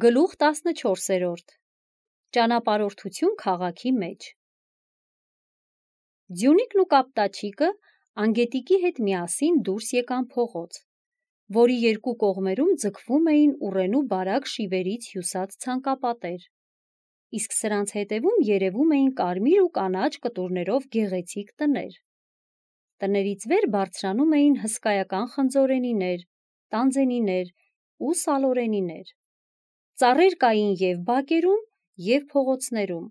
Գլուխ 14. Ճանապարհորդություն քաղաքի մեջ։ Ձյունիկն ու կապտաչիկը Անգետիկի հետ միասին դուրս եկան փողոց, որի երկու կողմերում ձգվում էին ուռենու բարակ շիվերից հյուսած ցանկապատեր, իսկ սրանց հետևում երևում էին կարմիր ու կանաչ կտուրներով գեղեցիկ տներ։ Տներից վեր բարձրանում էին հսկայական խնձորենիներ, տանձենիներ ու սալորենիներ։ Ծառեր կային և բակերում, և փողոցներում։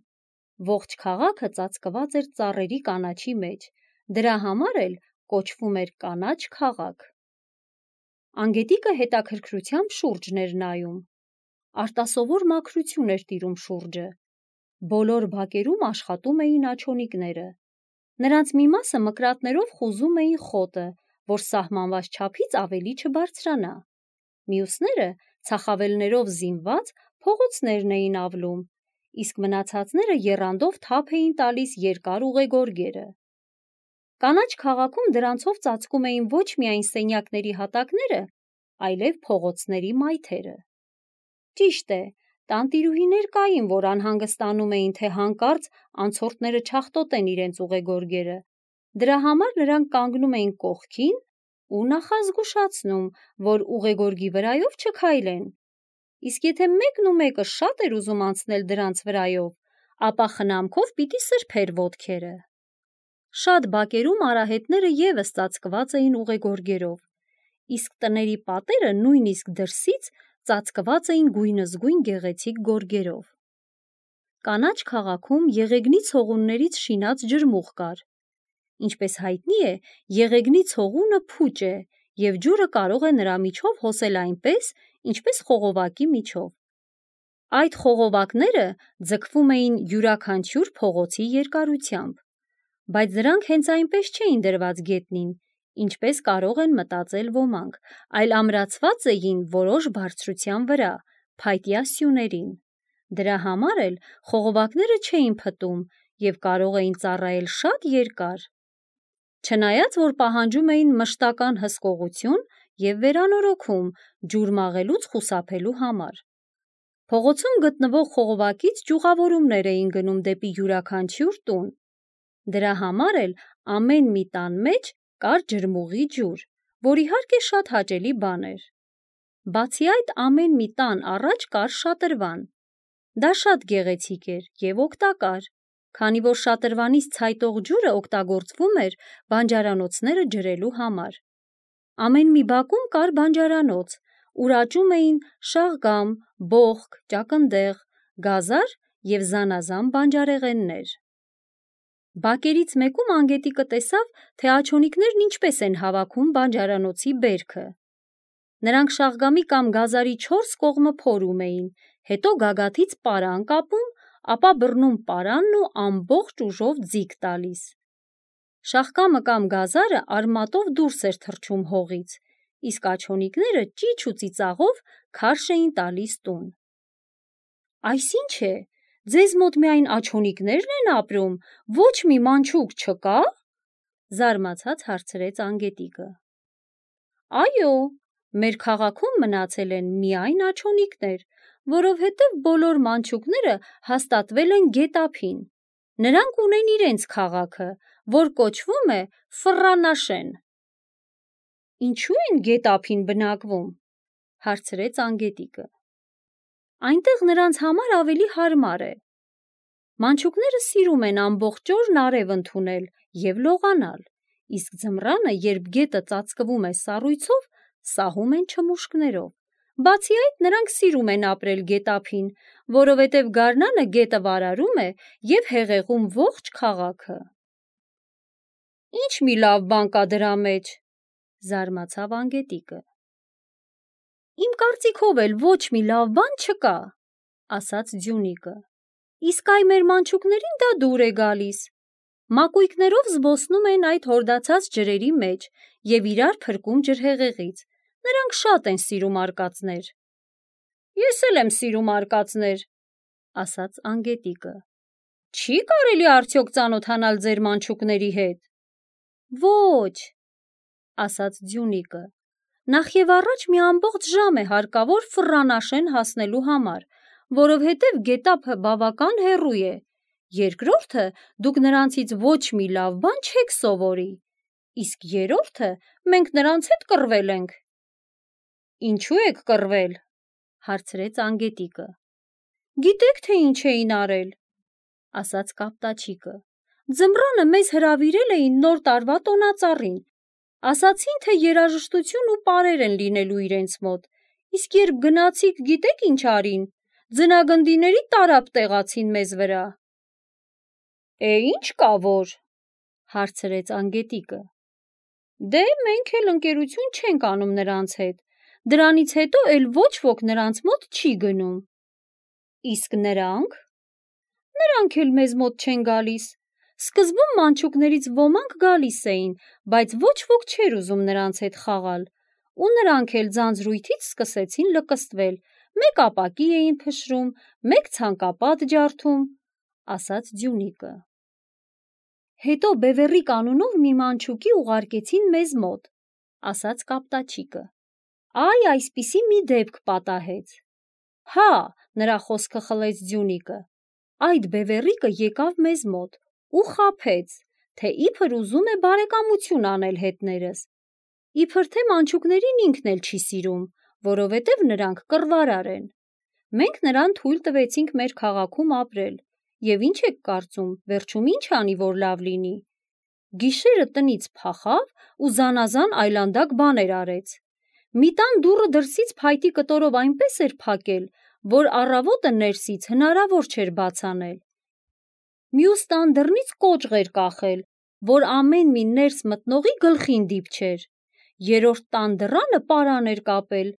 Ողջ քաղաքը ծածկված էր ծառերի կանաչի մեջ, դրա համար էլ կոչվում էր կանաչ քաղաք։ Անգետիկը հետաքրքրությամբ շուրջն էր նայում։ Արտասովոր մաքրություն էր տիրում շուրջը։ Բոլոր բակերում աշխատում էին աջոնիկները։ Նրանց մի մասը մկրատներով խուզում էին խոտը, որ սահմանված չափից ավելի չբարձրանա։ Մյուսները ցախավելներով զինված փողոցներն էին ավլում, իսկ մնացածները եռանդով թափ էին տալիս երկար ուղեգորգերը։ Կանաչ քաղաքում դրանցով ծածկում էին ոչ միայն սենյակների հատակները, այլև փողոցների մայթերը։ Ճիշտ է, տանտիրուհիներ կային, որ անհանգստանում էին, թե հանկարծ անցորդները չախտոտեն իրենց ուղեգորգերը։ Դրա համար նրանք կանգնում էին կողքին ու նախազգուշացնում, որ ուղեգորգի վրայով չքայլեն։ Իսկ եթե մեկն ու մեկը շատ էր ուզում անցնել դրանց վրայով, ապա խնամքով պիտի սրբեր ոտքերը։ Շատ բակերում արահետները ևս ծածկված էին ուղեգորգերով, իսկ տների պատերը նույնիսկ դրսից ծածկված էին գույնզգույն գեղեցիկ գորգերով։ Կանաչ քաղաքում եղեգնի ցողուններից շինած ջրմուղ կար։ Ինչպես հայտնի է, եղեգնի ցողունը փուճ է, և ջուրը կարող է նրա միջով հոսել այնպես, ինչպես խողովակի միջով։ Այդ խողովակները ձգվում էին յուրաքանչյուր փողոցի երկարությամբ, բայց դրանք հենց այնպես չէին դրված գետնին, ինչպես կարող են մտածել ոմանք, այլ ամրացված էին որոշ բարձրության վրա, փայտյա սյուներին։ Դրա համար էլ խողովակները չէին փտում և կարող էին ծառայել շատ երկար։ Չնայած, որ պահանջում էին մշտական հսկողություն և վերանորոգում ջուր մաղելուց խուսափելու համար։ Փողոցում գտնվող խողովակից ճյուղավորումներ էին գնում դեպի յուրաքանչյուր տուն։ Դրա համար էլ ամեն մի տան մեջ կար ջրմուղի ջուր, որ իհարկե շատ հաճելի բան էր։ Բացի այդ, ամեն մի տան առաջ կար շատրվան։ Դա շատ գեղեցիկ էր և օգտակար, քանի որ շատրվանից ցայտող ջուրը օգտագործվում էր բանջարանոցները ջրելու համար։ Ամեն մի բակում կար բանջարանոց, ուր աճում էին շաղգամ, բոխկ, ճակնդեղ, գազար և զանազան բանջարեղեններ։ Բակերից մեկում Անգետիկը տեսավ, թե աջոնիկներն ինչպես են հավաքում բանջարանոցի բերքը։ Նրանք շաղգամի կամ գազարի 4 կողմը փորում էին, հետո գագաթից պարան կապում, ապա բռնում պարանն ու ամբողջ ուժով ձիգ տալիս։ Շաղկամը կամ գազարը արմատով դուրս էր թռչում հողից, իսկ աջոնիկները ճիչ ու ծիծաղով քարշ էին տալիս տուն։ Այս ի՞նչ է, ձեզ մոտ միայն աջոնիկնե՞րն են ապրում, ոչ մի մանչուկ չկա՞, զարմացած հարցրեց Անգետիկը։ Այո, մեր քաղաքում մնացել են միայն աջոնիկներ, որովհետև բոլոր մանչուկները հաստատվել են գետափին։ Նրանք ունեն իրենց քաղաքը, որ կոչվում է Ֆռռանաշեն։ Ինչու են գետափին բնակվում, հարցրեց Անգետիկը։ Այնտեղ նրանց համար ավելի հարմար է։ Մանչուկները սիրում են ամբողջ օրն արև ընդունել և լողանալ, իսկ ձմռանը, երբ գետը ծածկվում է սառույցով, սահում են չմուշկներով։ Բացի այդ, նրանք սիրում են ապրել գետափին, որովհետև գարնանը գետը վարարում է և հեղեղում ողջ քաղաքը։ Ինչ մի լավ բան կա դրա մեջ, զարմացավ Անգետիկը։ Իմ կարծիքով էլ ոչ մի լավ բան չկա, ասաց Ձյունիկը։ Իսկ այ մեր մանչուկներին դա դուր է գալիս։ Մակույկներով զբոսնում են այդ հորդացած ջրերի մեջ և իրար փրկում ջրհեղեղից։ Նրանք շատ են սիրում արկածներ։ Ես էլ եմ սիրում արկածներ, ասաց Անգետիկը։ Չի կարելի արդյոք ծանոթանալ ձեր մանչուկների հետ։ Ոչ, ասաց Ձյունիկը, Նախ եւ առաջ մի ամբողջ ժամ է հարկավոր Ֆռռանաշեն հասնելու համար, որովհետև գետափը բավական հեռու է։ Երկրորդը, դուք նրանցից ոչ մի լավ բան չեք սովորի, իսկ երրորդը, մենք նրանց հետ կռվել ենք։ Ինչու եք կռվել, հարցրեց անգետիկը։ Գիտեք, թե ինչ էին արել, ասաց կապտաչիկը։ Ձմռանը մեզ հրավիրել էին նոր տարվա տոնածառին, ասացին, թե երաժշտություն ու պարեր են լինելու իրենց մոտ, իսկ երբ գնացիք, գիտեք ինչ արին, ձնագնդիների տարափ տեղացին մեզ վրա։ Ինչ կա որ, հարցրեց անգետիկը։ Դե մենք էլ ընկերություն չենք անում նրանց հետ, դրանից հետո էլ ոչ ոք նրանց մոտ չի գնում։ Իսկ նրանք։ Նրանք էլ մեզ մոտ չեն գալիս։ Սկզբում մանչուկներից ոմանք գալիս էին, բայց ոչ ոք չէր ուզում նրանց հետ խաղալ, ու նրանք էլ ձանձրույթից սկսեցին լկստվել, մեկ ապակի էին փշրում, մեկ ցանկապատ ջարդում, ասաց Ձյունիկը։ Հետո Բևեռիկ անունով մի մանչուկի ուղարկեցին մեզ մոտ, ասաց կապտաչիկը։ Այսպիսի մի դեպք պատահեց։ Հա, նրա խոսքը խլեց Ձյունիկը։ Այդ Բևեռիկը եկավ մեզ մոտ ու խաբեց, թե իբր ուզում է բարեկամություն անել հետներս։ Իբր թե մանչուկներին ինքն էլ չի սիրում, որովհետև նրանք կռվարար են։ Մենք նրան թույլ տվեցինք մեր քաղաքում ապրել, եւ ինչ եք կարծում, վերջում ինչ անի, որ լավ լինի։ Գիշերը տնից փախավ ու զանազան այլանդակ բաներ արեց։ Մի տան դուռը դրսից փայտի կտորով այնպես էր փակել, որ առավոտը ներսից հնարավոր չէր բաց անել։ Մյուս տան դռնից կոճղ էր կախել, որ ամեն մի ներս մտնողի գլխին դիպչեր։ Երրորդ տան դռանը պարան էր կապել,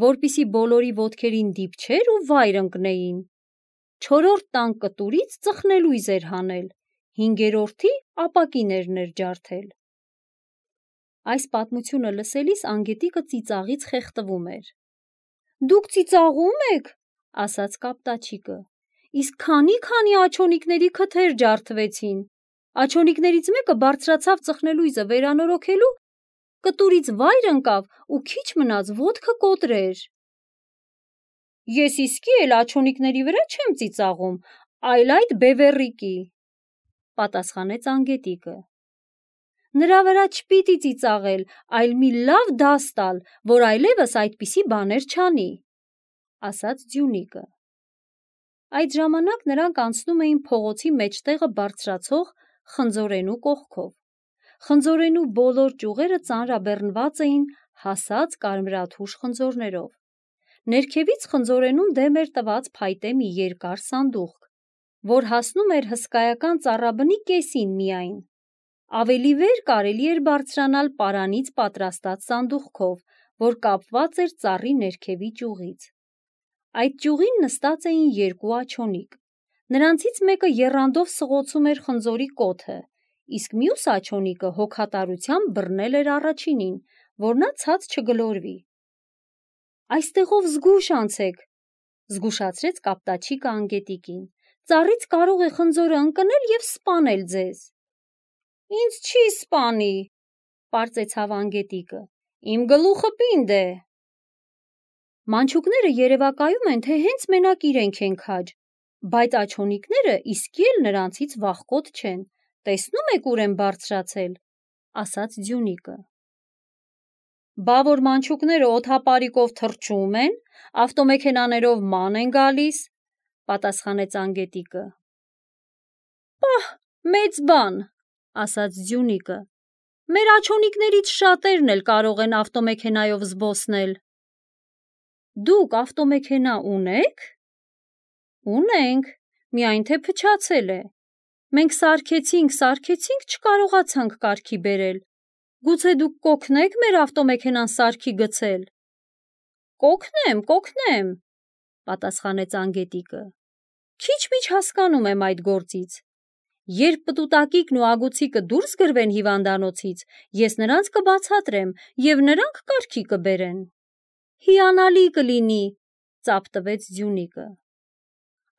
որպիսի բոլորի ոտքերին դիպչեր ու վայր ընկնեին։ Չորրորդ տան կտուրից ծխնելույզ էր հանել, հինգերորդի ապակիներն էր ջարդել։ Այս պատմությունը լսելիս անգետիկը ծիծաղից խեղդվում էր։ Դուք ծիծաղում եք, ասաց կապտաչիկը, իսկ քանի աջոնիկների քթեր ջարդվեցին։ Աջոնիկներից մեկը բարձրացավ ծխնելույզը վերանորոգելու, կտուրից վայր ընկավ ու քիչ մնաց ոտքը կոտրեր։ Ես իսկի էլ աջոնիկների վրա չեմ ծիծաղում, այլ այդ Բևեռիկի, պատասխանեց անգետիկը։ Նրա վրա չպիտի ծիծաղել, այլ մի լավ դաս տալ, որ այլևս այդպիսի բաներ չանի, ասաց Ձյունիկը։ Այդ ժամանակ նրանք անցնում էին փողոցի մեջտեղը բարձրացող խնձորենու կողքով։ Խնձորենու բոլոր ճյուղերը ծանրաբեռնված էին հասած կարմրաթուշ խնձորներով։ Ներքևից խնձորենում դեմ էր տված փայտե մի երկար սանդուղք, որ հասնում էր հսկայական ծառաբնի կեսին միայն։ Ավելի վեր կարելի էր բարձրանալ պարանից պատրաստած սանդուղքով, որ կապված էր ծառի ներքևի ճյուղից։ Այդ ճյուղին նստած էին երկու աջոնիկ։ Նրանցից մեկը եռանդով սղոցում էր խնձորի կոթը, իսկ մյուս աջոնիկը հոգատարությամբ բռնել էր առաջինին, որ նա ցած չգլորվի։ Այստեղով զգույշ անցեք, զգուշացրեց կապտաչիկը անգետիկին։ Ծառից կարող է խնձորը ընկնել եւ սպանել ձեզ։ Ինձ չի սպանի, պարծեցավ անգետիկը։ Իմ գլուխը պինդ է։ Մանչուկները երևակայում են, թե հենց մենակ իրենք են քաջ, բայց աջոնիկները իսկի էլ նրանցից վախկոտ չեն։ Տեսնում եք ուր են բարձրացել, ասաց Ձյունիկը։ Բա որ մանչուկները օդապարիկով թռչում են, ավտոմեքենաներով ման են գալիս, պատասխանեց անգետիկը։ Պահ, մեծ բան, ասաց Ձյունիկը։ Մեր աջոնիկներից շատերն էլ կարող են ավտոմեքենայով զբոսնել։ Դուք ավտոմեքենա ունեք։ Ունենք, միայն թե փչացել է։ Մենք սարքեցինք, չկարողացանք կարգի բերել։ Գուցե դուք կօգնեք մեր ավտոմեքենան սարքի գցել։ Կօգնեմ, պատասխանեց անգետիկը։ Քիչ-միչ հասկանում եմ այդ գործից։ Երբ պտուտակիկն ու ագուցիկը դուրս գրվեն հիվանդանոցից, ես նրանց կբացատրեմ եւ նրանք կարգի կբերեն։ Հիանալի կլինի, ծափ տվեց Ձյունիկը։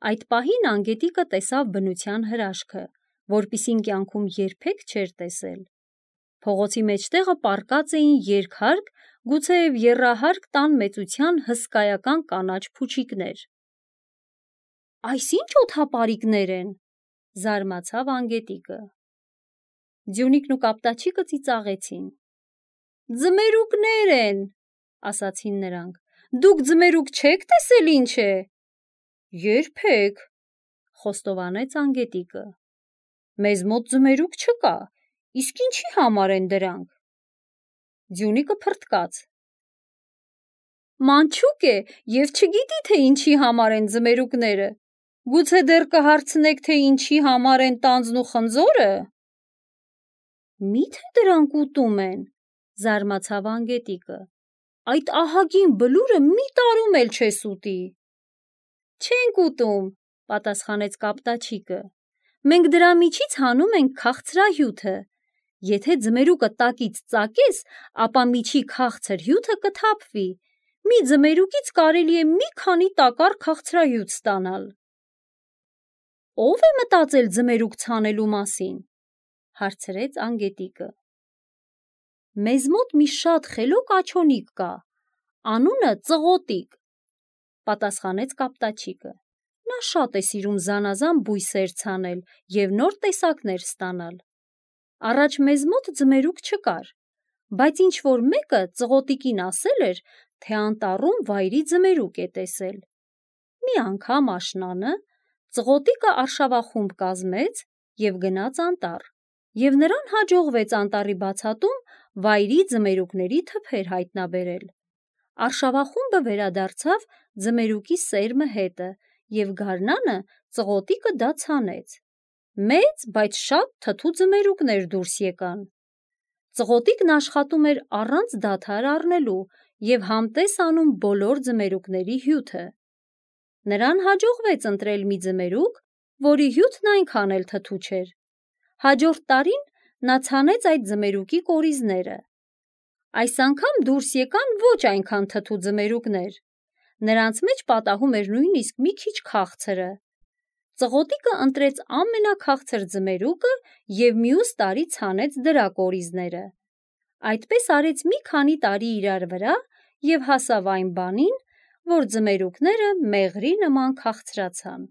Այդ պահին անգետիկը տեսավ բնության հրաշքը, որպիսին կյանքում երբեք չէր տեսել։ Փողոցի մեջտեղը պառկած էին երկհարկ, գուցեև եռահարկ տան մեծության հսկայական կանաչ փուչիկներ։ «Այս ի՞նչ օդապարիկներ են», զարմացավ Անգետիկը։ Ձյունիկն ու Կապտաչիկը ծիծաղեցին։ «Ձմերուկներ են», ասացին նրանք։ «Դուք ձմերուկ չեք տեսել ինչ է»։ «Երբեք», խոստովանեց Անգետիկը։ «Մեզ մոտ ձմերուկ չկա, իսկ ինչի համար են դրանք»։ Ձյունիկը փռթկաց։ «Մանչուկ է և չգիտի, թե ինչի համար են ձմերուկները։ Գուցե դեռ կհարցնեք, թե ինչի համար են տանձն ու խնձորը»։ «Մի՞թե դրանք ուտում են», զարմացավ Անգետիկը։ «Այդ ահագին բլուրը մի տարում էլ չես ուտի»։ «Չենք ուտում», պատասխանեց Կապտաչիկը։ «Մենք դրա միջից հանում ենք քաղցրահյութը։ Եթե ձմերուկը տակից ծակես, ապա միջի քաղցր հյութը կթափվի։ Մի ձմերուկից կարելի է մի քանի տակառ քաղցրահյութ ստանալ»։ «Ո՞վ է մտածել ձմերուկ ցանելու մասին», հարցրեց Անգետիկը։ «Մեզ մոտ մի շատ խելոք աչոնիկ կա, անունը Ծղոտիկ», պատասխանեց Կապտաչիկը։ «Նա շատ է սիրում զանազան բույսեր ցանել և նոր տեսակներ ստանալ։ Առաջ մեզ մոտ ձմերուկ չկար, բայց ինչ-որ մեկը Ծղոտիկին ասել էր, թե անտառում վայրի ձմերուկ է տեսել։ Մի անգամ աշնանը Ծղոտիկը արշավախումբ կազմեց և գնաց անտառ, և նրան հաջողվեց անտառի բացատում վայրի ձմերուկների թփեր հայտնաբերել։ Արշավախումբը վերադարձավ ձմերուկի սերմը հետը, և գարնանը Ծղոտիկը դա ցանեց։ Մեծ, բայց շատ թթու ձմերուկներ դուրս եկան։ Ծղոտիկն աշխատում էր առանց դադար առնելու և համտես անում բոլոր ձմերուկների հյութը։ Նրան հաջողվեց ընտրել մի ձմերուկ, որի հյութն այնքան էլ թթու չէր։ Հաջորդ տարին նա ցանեց այդ ձմերուկի կորիզները։ Այս անգամ դուրս եկան ոչ այնքան թթու ձմերուկներ։ Նրանց մեջ պատահում էր նույնիսկ մի քիչ քաղցրը։ Ծղոտիկը ընտրեց ամենաքաղցր ձմերուկը և մյուս տարի ցանեց դրա կորիզները։ Այդպես արեց մի քանի տարի իրար վրա և հասավ այն բանին, որ ձմերուկները մեղրի նման քաղցրացան։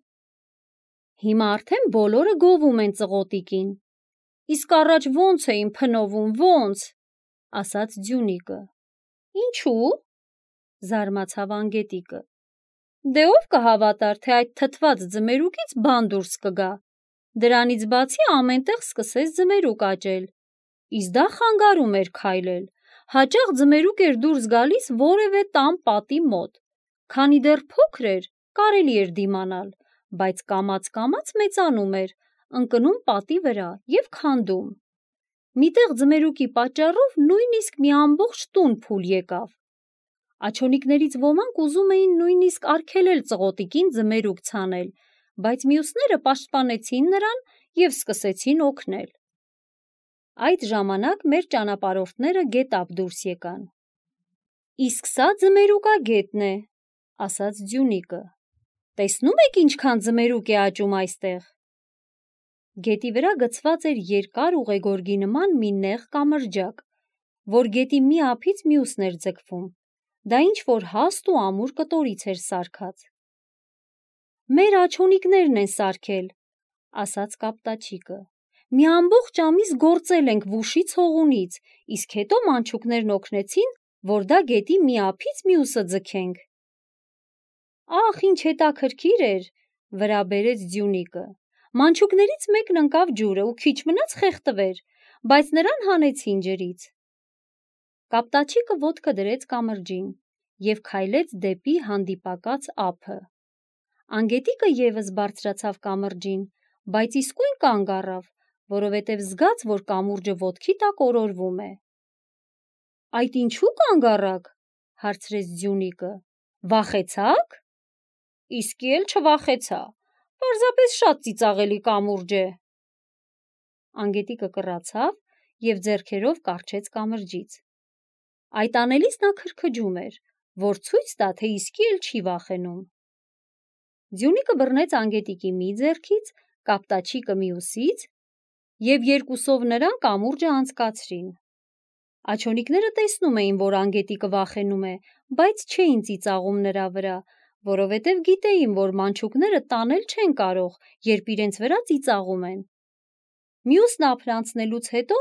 Հիմա արդեն բոլորը գովում են Ծղոտիկին։ Իսկ առաջ ո՞նց էին փնովում, ո՞նց, ասաց Ձյունիկը։ Ինչու՞, զարմացավ Անգետիկը։ Դե ով կհավատար, թե այդ թթված ձմերուկից բան դուրս կգա։ Դրանից բացի ամենտեղ սկսեց ձմերուկ աճել, իսկ դա խանգարում էր քայլել։ Հաճախ ձմերուկ էր դուրս գալիս որևէ տան պատի մոտ։ Քանի դեռ փոքր էր, կարելի էր դիմանալ, բայց կամաց-կամաց մեծանում էր, ընկնում պատի վրա և քանդում։ Մի տեղ ձմերուկի պատճառով նույնիսկ մի ամբողջ տուն փուլ եկավ։ Աչոնիկներից ոմանք ուզում էին նույնիսկ արգելել Ծղոտիկին ձմերուկ ցանել, բայց մյուսները պաշտպանեցին նրան և սկսեցին օգնել։ Այդ ժամանակ մեր ճանապարհորդները գետափ դուրս եկան։ Իսկ սա ձմերուկագետն է, ասաց Ձյունիկը։ Տեսնում եք ինչքան ձմերուկ է աճում այստեղ։ Գետի վրա գցված էր երկար ուղեգորգի նման մի նեղ կամրջակ, որ գետի մի ափից մյուսն էր ձգվում։ Դա ինչ-որ հաստ ու ամուր կտորից էր սարքած։ Մեր աչոնիկներն են սարքել, ասաց Կապտաչիկը։ Մի ամբողջ ամիս գործել ենք վուշից հողունից, իսկ հետո մանչուկներն օգնեցին, որ դա գետի մի ափից մյուսը ձգենք։ Ախ, ինչ հետաքրքիր էր, վրա բերեց Ձյունիկը։ Մանչուկներից մեկն ընկավ ջուրը ու քիչ մնաց խեղդվեր, բայց նրան հանեցին ջրից։ Կապտաչիկը ոտքը դրեց կամրջին և քայլեց դեպի հանդիպակաց ափը։ Անգետիկը ևս բարձրացավ կամրջին, բայց իսկույն կանգ առավ, որովհետև զգաց, որ կամուրջը ոտքի տակ օրորվում է։ Այդ ինչու կանգ առաք, հարցրեց Ձյունիկը։ Վախեցա՞ք։ Իսկի էլ չվախեցա, պարզապես շատ ծիծաղելի կամուրջ է։ Անգետիկը կռացավ և ձեռքերով կառչեց կամրջից։ Այդ անելիս նա քրքջում էր, որ ցույց տա, թե իսկի էլ չի վախենում։ Ձյունիկը բռնեց Անգետիկի մի ձեռքից, Կապտաչիկը մյուսից և երկուսով նրանք կամուրջը անցկացրին։ Աջոնիկները տեսնում էին, որ անգետիկը վախենում է, բայց չէին ծիծաղում նրա վրա, որովհետև գիտեին, որ մանչուկները տանել չեն կարող, երբ իրենց վրա ծիծաղում են։ Մյուսն ափն անցնելուց հետո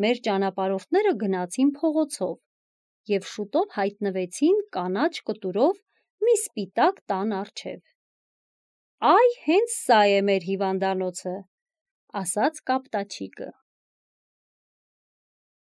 մեր ճանապարհորդները գնացին փողոցով և շուտով հայտնվեցին կանաչ կտուրով մի սպիտակ տան առջև։ «Այ հենց սա է մեր հիվանդանոցը», ասաց Կապտաչիկը։